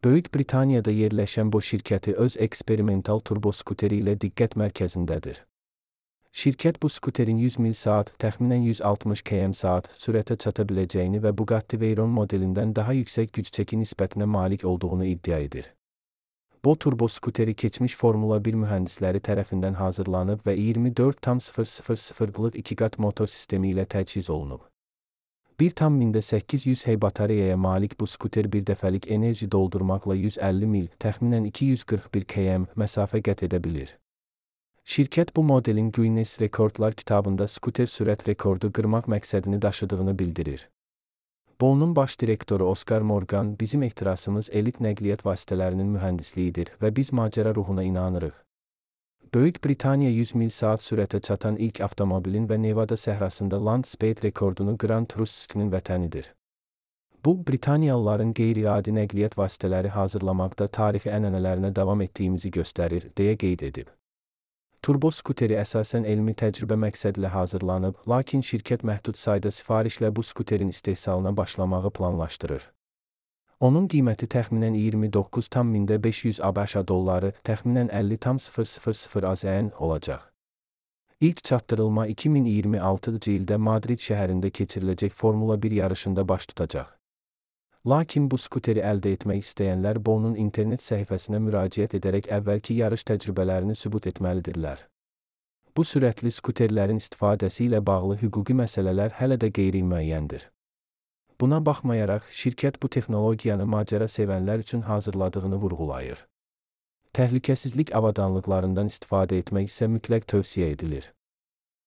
Böyük Britaniyada yerləşən bu şirkəti öz eksperimental turboskuteri ilə diqqət mərkəzindədir. Şirkət bu skuterin 100 mil saat, təxminən 160 km/saat sürətə çata biləcəyini və Bugatti Veyron modelindən daha yüksək güc çəki nisbətinə malik olduğunu iddia edir. Bu turboskuteri keçmiş Formula 1 mühəndisləri tərəfindən hazırlanıb və 24,000-lıq 2 qat motor sistemi ilə təchiz olunub. 1,800 hey batareyaya malik bu skuter bir dəfəlik enerji doldurmaqla 150 mil, təxminən 241 km məsafə qət edə bilir. Şirkət bu modelin Guinness Rekordlar kitabında skuter sürət rekordu qırmaq məqsədini daşıdığını bildirir. Boeing'un baş direktoru Oscar Morgan, bizim ehtirasımız elit nəqliyyat vasitələrinin mühəndisliyidir və biz macəra ruhuna inanırıq. Böyük Britaniya 100 mil saat sürətə çatan ilk avtomobilin və Nevada səhrasında Land Speed rekordunu qıran Truskinin vətənidir. Bu, Britaniyalıların qeyri-adi nəqliyyat vasitələri hazırlamaqda tarixi ənənələrinə davam etdiyimizi göstərir, deyə qeyd edib. Turbo skuteri əsasən elmi təcrübə məqsədilə hazırlanıb, lakin şirkət məhdud sayda sifarişlə bu skuterin istehsalına başlamağı planlaşdırır. Onun qiyməti təxminən 29,500 ABŞ dolları, təxminən 50,000 AZN olacaq. İlk çatdırılma 2026-cı ildə Madrid şəhərində keçiriləcək Formula 1 yarışında baş tutacaq. Lakin bu skuteri əldə etmək istəyənlər Boeing'un internet səhifəsinə müraciət edərək əvvəlki yarış təcrübələrini sübut etməlidirlər. Bu sürətli skuterlərin istifadəsi ilə bağlı hüquqi məsələlər hələ də qeyri-müəyyəndir. Buna baxmayaraq, şirkət bu texnologiyanı macəra sevənlər üçün hazırladığını vurğulayır. Təhlükəsizlik avadanlıqlarından istifadə etmək isə mütləq tövsiyə edilir.